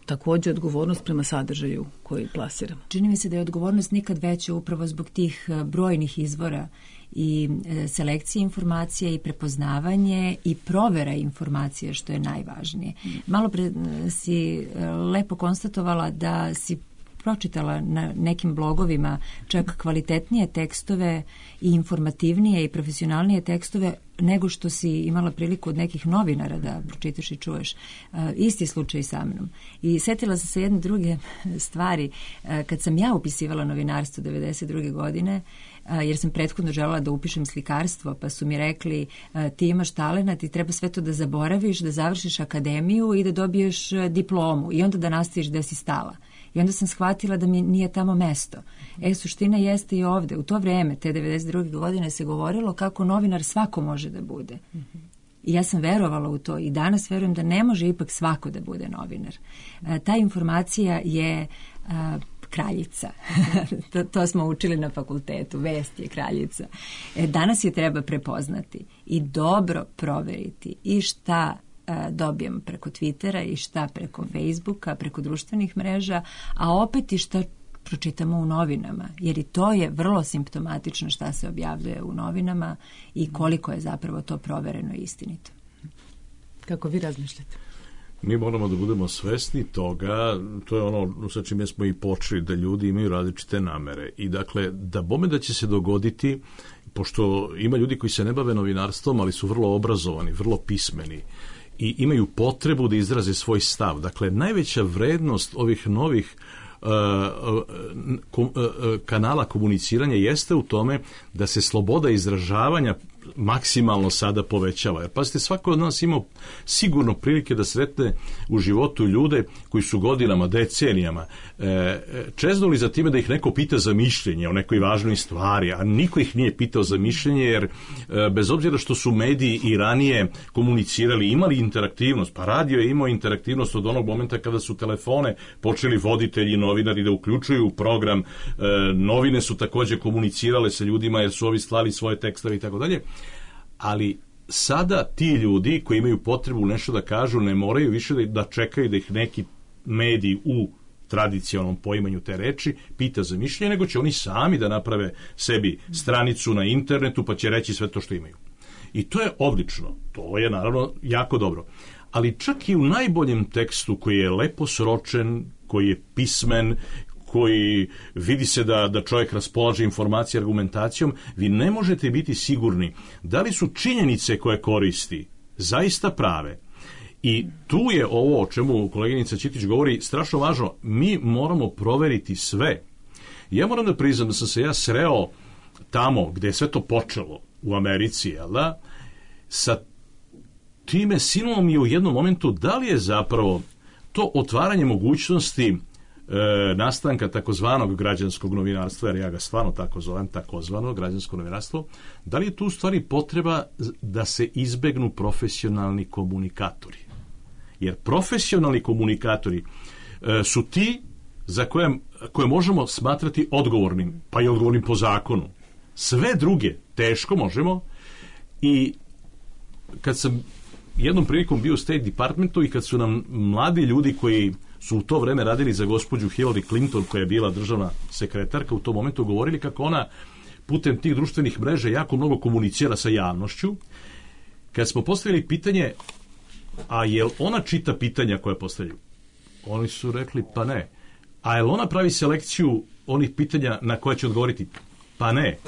također odgovornost prema sadržaju koji plasiramo. Čini mi se da je odgovornost nikad veća upravo zbog tih brojnih izvora i selekcije informacija i prepoznavanje i provera informacije, što je najvažnije. Malo pre si lepo konstatovala da si pročitala na nekim blogovima čak kvalitetnije tekstove i informativnije i profesionalnije tekstove nego što si imala priliku od nekih novinara da pročitaš i čuješ. Uh, isti slučaj sa mnom. I setila sam se jedne druge stvari. Uh, kad sam ja upisivala novinarstvo devedeset druge godine, uh, jer sam prethodno želela da upišem slikarstvo, pa su mi rekli uh, ti imaš talenat, ti treba sve to da zaboraviš, da završiš akademiju i da dobiješ uh, diplomu i onda da nastaviš da si stala. I onda sam shvatila da mi nije tamo mesto. E, suština jeste i ovde. U to vreme, te devedeset druge godine, se govorilo kako novinar svako može da bude. I ja sam verovala u to i danas verujem da ne može ipak svako da bude novinar. E, ta informacija je a, kraljica. to, to smo učili na fakultetu. Vest je kraljica. E, danas je treba prepoznati i dobro proveriti i šta dobijem preko Twittera i šta preko Facebooka, preko društvenih mreža, a opet i šta pročitamo u novinama, jer i to je vrlo simptomatično šta se objavljuje u novinama i koliko je zapravo to provereno i istinito. Kako vi razmišljate? Mi moramo da budemo svesni toga, to je ono sa čime smo i počeli, da ljudi imaju različite namere i dakle, da bome da će se dogoditi, pošto ima ljudi koji se ne bave novinarstvom, ali su vrlo obrazovani, vrlo pismeni i imaju potrebu da izraze svoj stav. Dakle, najveća vrednost ovih novih uh, uh, uh, kanala komuniciranja jeste u tome da se sloboda izražavanja maksimalno sada povećava. Jer pazite, svako od nas ima sigurno prilike da sretne u životu ljude koji su godinama, decenijama e, čeznuli za time da ih neko pita za mišljenje o nekoj važnoj stvari, a niko ih nije pitao za mišljenje, jer e, bez obzira što su mediji i ranije komunicirali, imali interaktivnost, pa radio je imao interaktivnost od onog momenta kada su telefone počeli voditelji i novinari da uključuju program, e, novine su također komunicirale sa ljudima jer su ovi slali svoje tekstove i tako dalje. Ali sada ti ljudi koji imaju potrebu nešto da kažu ne moraju više da, da čekaju da ih neki mediji u tradicionalnom poimanju te reči pita za mišljenje, nego će oni sami da naprave sebi stranicu na internetu pa će reći sve to što imaju. I to je odlično, to je naravno jako dobro. Ali čak i u najboljem tekstu koji je lepo sročen, koji je pismen, koji vidi se da, da čovjek raspolaže informacije argumentacijom, vi ne možete biti sigurni da li su činjenice koje koristi zaista prave. I tu je ovo o čemu koleginica Ćitić govori strašno važno. Mi moramo proveriti sve. Ja moram da priznam da sam se ja sreo tamo gde je sve to počelo u Americi, jel da? Sa time sinulo mi je u jednom momentu da li je zapravo to otvaranje mogućnosti E, nastanka takozvanog građanskog novinarstva, jer ja ga stvarno tako zovem, takozvano građansko novinarstvo, da li je tu u stvari potreba da se izbegnu profesionalni komunikatori? Jer profesionalni komunikatori e, su ti za koje, koje možemo smatrati odgovornim, pa i odgovornim po zakonu. Sve druge teško možemo i kad sam jednom prilikom bio u State Departmentu i kad su nam mladi ljudi koji su u to vreme radili za gospođu Hillary Clinton, koja je bila državna sekretarka u tom momentu, govorili kako ona putem tih društvenih mreža jako mnogo komunicira sa javnošću. Kad smo postavili pitanje, a jel ona čita pitanja koje postavljaju? Oni su rekli, pa ne. A jel ona pravi selekciju onih pitanja na koje će odgovoriti? Pa ne.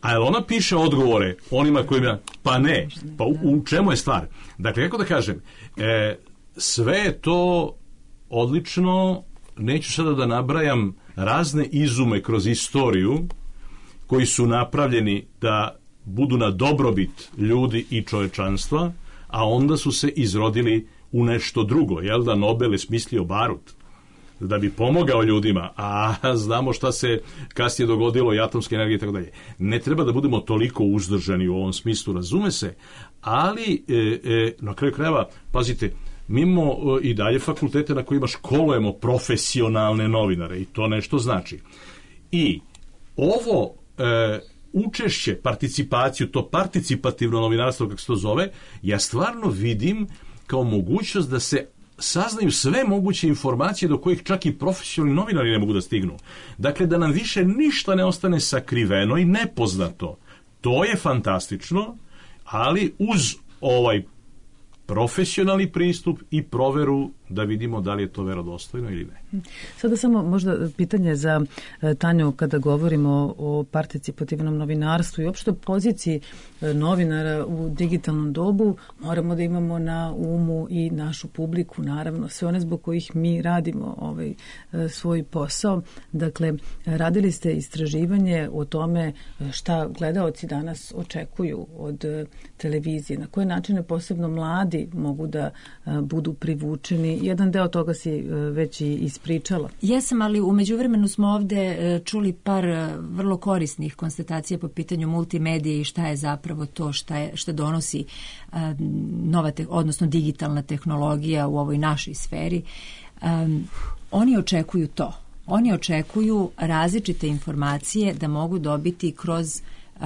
A jel ona piše odgovore onima kojima? Pa ne. Pa u, u čemu je stvar? Dakle, kako da kažem, e, sve je to odlično, neću sada da nabrajam razne izume kroz istoriju koji su napravljeni da budu na dobrobit ljudi i čovečanstva, a onda su se izrodili u nešto drugo, jel da Nobel je smislio barut da bi pomogao ljudima, a znamo šta se kasnije dogodilo i atomske energije i tako dalje. Ne treba da budemo toliko uzdržani u ovom smislu, razume se, ali e, e, na kraju krajeva, pazite, mi imamo e, i dalje fakultete na kojima školujemo profesionalne novinare i to nešto znači. I ovo e, učešće, participaciju, to participativno novinarstvo, kako se to zove, ja stvarno vidim kao mogućnost da se saznaju sve moguće informacije do kojih čak i profesionalni novinari ne mogu da stignu. Dakle, da nam više ništa ne ostane sakriveno i nepoznato. To je fantastično, ali uz ovaj profesionalni pristup i proveru da vidimo da li je to verodostojno ili ne. Sada samo možda pitanje za Tanju kada govorimo o participativnom novinarstvu i uopšte poziciji novinara u digitalnom dobu. Moramo da imamo na umu i našu publiku, naravno, sve one zbog kojih mi radimo ovaj svoj posao. Dakle, radili ste istraživanje o tome šta gledaoci danas očekuju od televizije, na koje načine posebno mladi mogu da budu privučeni. Jedan deo toga si već i ispričala. Jesam, ali u međuvremenu smo ovde čuli par vrlo korisnih konstatacija po pitanju multimedije i šta je zapravo to šta, je, šta donosi nova, te, odnosno digitalna tehnologija u ovoj našoj sferi. Um, oni očekuju to. Oni očekuju različite informacije da mogu dobiti kroz uh,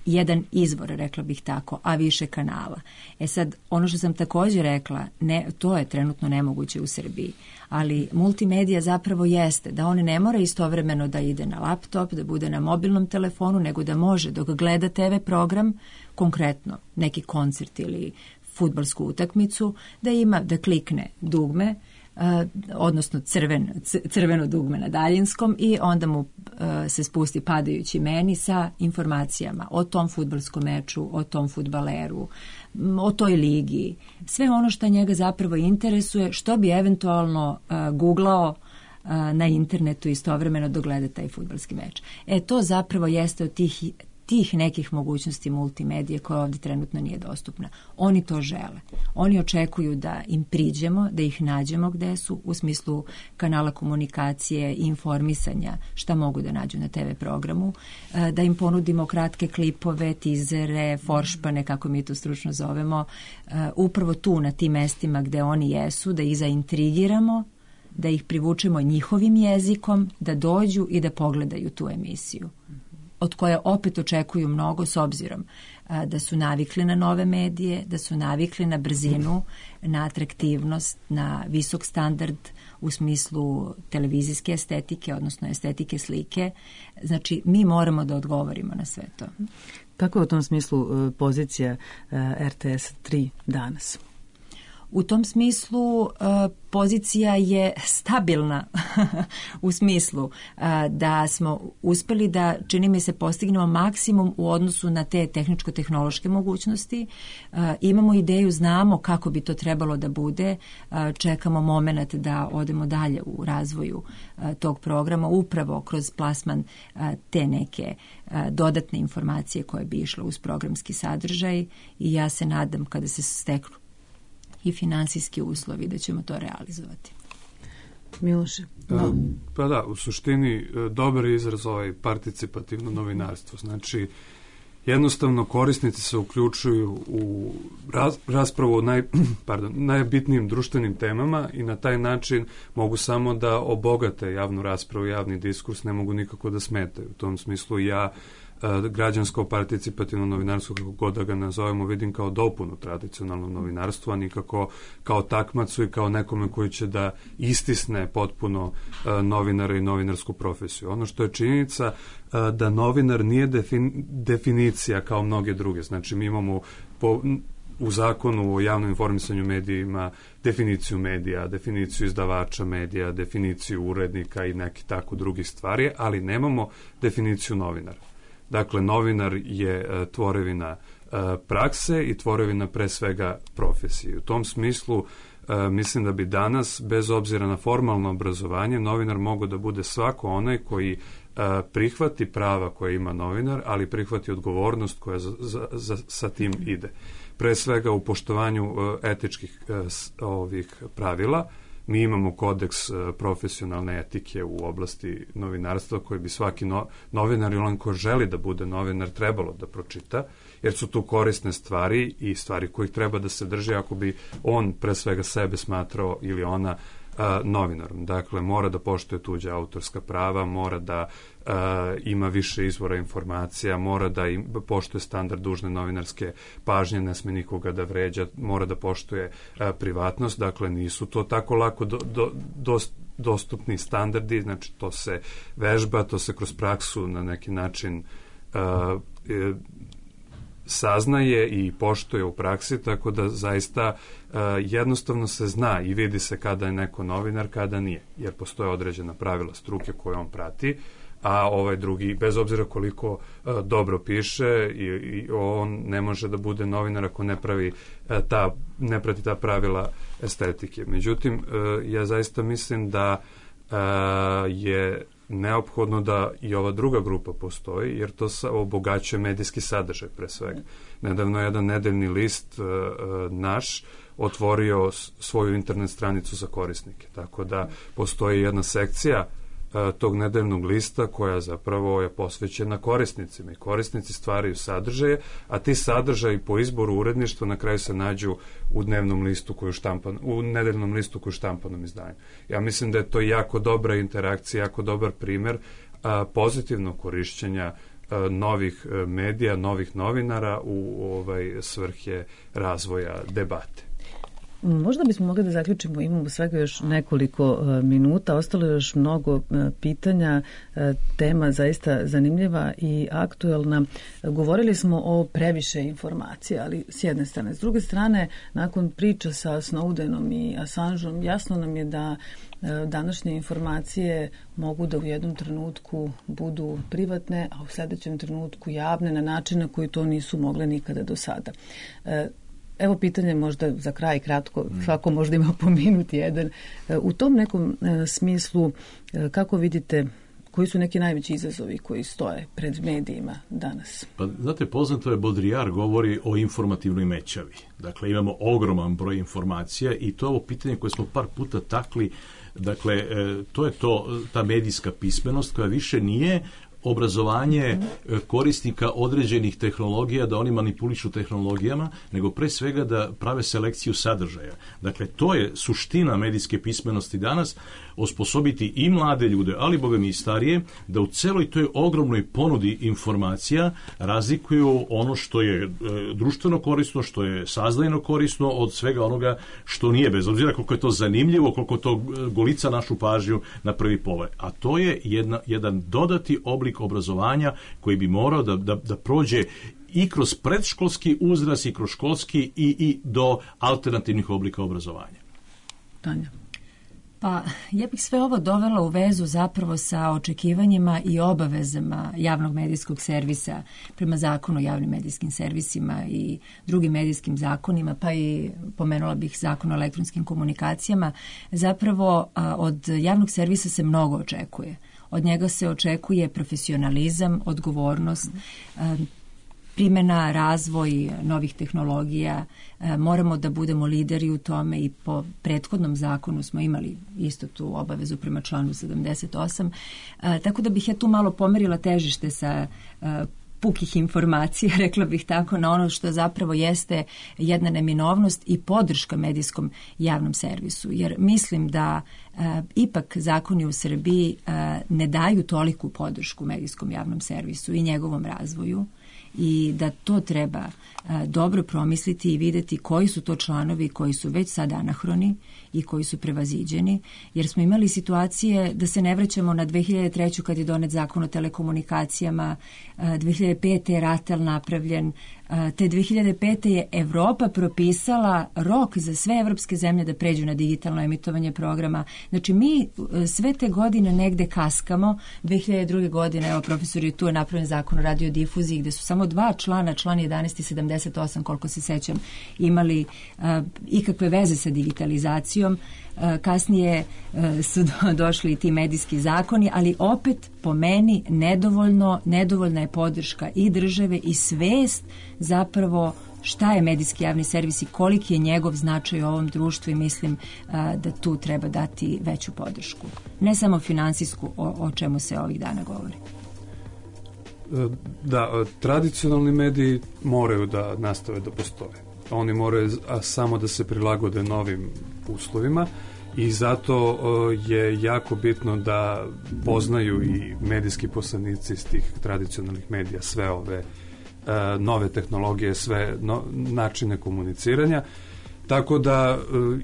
jedan izvor, rekla bih tako, a više kanala. E sad, ono što sam također rekla, ne, to je trenutno nemoguće u Srbiji, ali multimedija zapravo jeste da on ne mora istovremeno da ide na laptop, da bude na mobilnom telefonu, nego da može dok gleda te ve program, konkretno neki koncert ili fudbalsku utakmicu, da ima, da klikne dugme, Uh, odnosno crven, crveno dugme na daljinskom i onda mu uh, se spusti padajući meni sa informacijama o tom fudbalskom meču, o tom fudbaleru, o toj ligi. Sve ono što njega zapravo interesuje, što bi eventualno uh, googlao uh, na internetu istovremeno dogleda taj fudbalski meč. E, to zapravo jeste od tih tih nekih mogućnosti multimedije koja ovdje trenutno nije dostupna. Oni to žele. Oni očekuju da im priđemo, da ih nađemo gde su u smislu kanala komunikacije i informisanja šta mogu da nađu na te ve programu, da im ponudimo kratke klipove, tizere, foršpane, kako mi to stručno zovemo, upravo tu na tim mestima gde oni jesu, da ih zaintrigiramo, da ih privučemo njihovim jezikom, da dođu i da pogledaju tu emisiju, od koje opet očekuju mnogo s obzirom a, da su navikli na nove medije, da su navikli na brzinu, na atraktivnost, na visok standard u smislu televizijske estetike, odnosno estetike slike. Znači, mi moramo da odgovorimo na sve to. Kako je u tom smislu pozicija er te es tri danas? U tom smislu uh, pozicija je stabilna u smislu uh, da smo uspeli da, čini mi se, postignemo maksimum u odnosu na te tehničko-tehnološke mogućnosti. Uh, imamo ideju, znamo kako bi to trebalo da bude, uh, čekamo moment da odemo dalje u razvoju uh, tog programa, upravo kroz plasman uh, te neke uh, dodatne informacije koje bi išle uz programski sadržaj i ja se nadam kada se steknu i finansijski uslovi da ćemo to realizovati. Miloše? Da. Pa da, u suštini dobar je izraz ovaj participativno novinarstvo. Znači, jednostavno korisnici se uključuju u raz, raspravu o naj, pardon, najbitnijim društvenim temama i na taj način mogu samo da obogate javnu raspravu, javni diskurs, ne mogu nikako da smetaju. U tom smislu ja građansko participativno novinarstvo, kako god da ga nazovemo, vidim kao dopunu tradicionalnog novinarstva, a nikako kao takmacu i kao nekome koji će da istisne potpuno novinara i novinarsku profesiju. Ono što je činjenica da novinar nije defin, definicija kao mnoge druge. Znači, mi imamo po, u zakonu o javnom informisanju medijima definiciju medija, definiciju izdavača medija, definiciju urednika i neki tako drugih stvari, ali nemamo definiciju novinara. Dakle, novinar je e, tvorevina e, prakse i tvorevina pre svega profesije. U tom smislu e, mislim da bi danas, bez obzira na formalno obrazovanje, novinar mogao da bude svako onaj koji e, prihvati prava koje ima novinar, ali prihvati odgovornost koja za, za, za, sa tim ide. Pre svega u poštovanju e, etičkih e, s, ovih pravila. Mi imamo kodeks profesionalne etike u oblasti novinarstva koji bi svaki no, novinar ili on ko želi da bude novinar trebalo da pročita, jer su tu korisne stvari i stvari kojih treba da se drži ako bi on pre svega sebe smatrao ili ona a, novinarom. Dakle, mora da poštuje tuđa autorska prava, mora da a, ima više izvora informacija, mora da im, poštuje standard dužne novinarske pažnje, ne sme nikoga da vređa, mora da poštuje a, privatnost. Dakle, nisu to tako lako do, do, dost, dostupni standardi, znači to se vežba, to se kroz praksu na neki način a, e, saznaje i poštuje u praksi, tako da zaista uh, jednostavno se zna i vidi se kada je neko novinar, kada nije, jer postoje određena pravila struke koje on prati, a ovaj drugi, bez obzira koliko uh, dobro piše, i, i on ne može da bude novinar ako ne pravi uh, ta, ne prati ta pravila estetike. Međutim, uh, ja zaista mislim da uh, je neophodno da i ova druga grupa postoji, jer to obogaćuje medijski sadržaj pre svega. Nedavno je jedan nedeljni list uh, naš otvorio svoju internet stranicu za korisnike, tako da postoji jedna sekcija uh, tog nedeljnog lista koja zapravo je posvećena korisnicima i korisnici stvaraju sadržaje, a ti sadržaji po izboru uredništva na kraju se nađu u dnevnom listu koji je štampan, u nedeljnom listu koji je štampanom izdanju. Ja mislim da je to jako dobra interakcija, jako dobar primer a, pozitivnog korišćenja a, novih a, medija, novih novinara u ovaj svrhe razvoja debate. Možda bismo mogli da zaključimo, imamo svega još nekoliko uh, minuta, ostalo je još mnogo uh, pitanja, uh, tema zaista zanimljiva i aktuelna. Uh, govorili smo o previše informacija, ali s jedne strane. S druge strane, nakon priča sa Snowdenom i Assangeom, jasno nam je da uh, današnje informacije mogu da u jednom trenutku budu privatne, a u sledećem trenutku javne na način na koji to nisu mogle nikada do sada. Uh, Evo pitanje možda za kraj kratko, svako možda ima po minut jedan. U tom nekom e, smislu, e, kako vidite, koji su neki najveći izazovi koji stoje pred medijima danas? Pa, znate, poznato je, Baudrillard govori o informativnoj mećavi. Dakle, imamo ogroman broj informacija i to je ovo pitanje koje smo par puta takli. Dakle, e, to je to, ta medijska pismenost koja više nije obrazovanje korisnika određenih tehnologija, da oni manipulišu tehnologijama, nego pre svega da prave selekciju sadržaja. Dakle, to je suština medijske pismenosti danas, osposobiti i mlade ljude, ali boga mi i starije, da u celoj toj ogromnoj ponudi informacija razlikuju ono što je e, društveno korisno, što je saznajno korisno od svega onoga što nije, bez obzira koliko je to zanimljivo, koliko to golica našu pažnju na prvi pogled. A to je jedna, jedan dodati oblik obrazovanja koji bi morao da, da, da prođe i kroz predškolski uzrast i kroz školski i, i do alternativnih oblika obrazovanja. Tanja. Pa, ja bih sve ovo dovela u vezu zapravo sa očekivanjima i obavezama javnog medijskog servisa prema zakonu o javnim medijskim servisima i drugim medijskim zakonima, pa i pomenula bih zakon o elektronskim komunikacijama. Zapravo, od javnog servisa se mnogo očekuje. Od njega se očekuje profesionalizam, odgovornost, primjena, razvoj novih tehnologija. Moramo da budemo lideri u tome i po prethodnom zakonu smo imali isto tu obavezu prema članu sedamdeset osam. Tako da bih ja tu malo pomerila težište sa pukih informacija, rekla bih tako, na ono što zapravo jeste jedna neminovnost i podrška medijskom javnom servisu. Jer mislim da e, ipak zakoni u Srbiji e, ne daju toliku podršku medijskom javnom servisu i njegovom razvoju, i da to treba a, dobro promisliti i videti koji su to članovi koji su već sad anahroni i koji su prevaziđeni, jer smo imali situacije, da se ne vraćamo na dve hiljade treće. kad je donet zakon o telekomunikacijama, a, dve hiljade pete. je RATEL napravljen, a, te dve hiljade pete. je Evropa propisala rok za sve evropske zemlje da pređu na digitalno emitovanje programa. Znači mi sve te godine negde kaskamo. dve hiljade druge. godine, evo profesor je tu, je napravljen zakon o radiodifuziji gde su samo dva člana, član jedanaest i sedamdeset osam, koliko se sećam, imali uh, ikakve veze sa digitalizacijom. Uh, kasnije uh, su do, došli i ti medijski zakoni, ali opet po meni nedovoljno, nedovoljna je podrška i države i svest zapravo šta je medijski javni servis i koliki je njegov značaj u ovom društvu, i mislim uh, da tu treba dati veću podršku. Ne samo finansijsku, o, o čemu se ovih dana govori. Da, tradicionalni mediji moraju da nastave da postoje. Oni moraju samo da se prilagode novim uslovima i zato je jako bitno da poznaju i medijski poslanici iz tih tradicionalnih medija sve ove nove tehnologije, sve no, načine komuniciranja. Tako da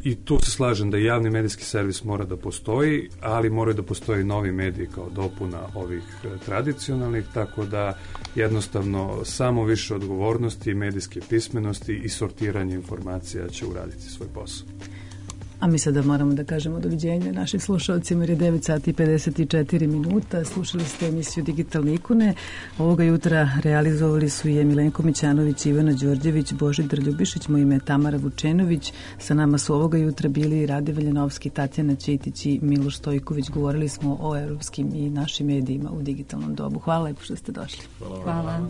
i tu se slažem da javni medijski servis mora da postoji, ali moraju da postoji novi mediji kao dopuna ovih tradicionalnih, tako da jednostavno samo više odgovornosti, medijske pismenosti i sortiranje informacija će uraditi svoj posao. A mi sada moramo da kažemo doviđenje našim slušalcima, jer je devet sati i pedeset četiri minuta. Slušali ste emisiju Digitalne ikone. Ovoga jutra realizovali su je Milenko Mićanović, Ivana Đorđević, Božidar Ljubišić, moje ime je Tamara Vučenović. Sa nama su ovoga jutra bili Rade Veljanovski, Tatjana Ćitić i Miloš Stojković. Govorili smo o evropskim i našim medijima u digitalnom dobu. Hvala lepo što ste došli. Hvala. Hvala.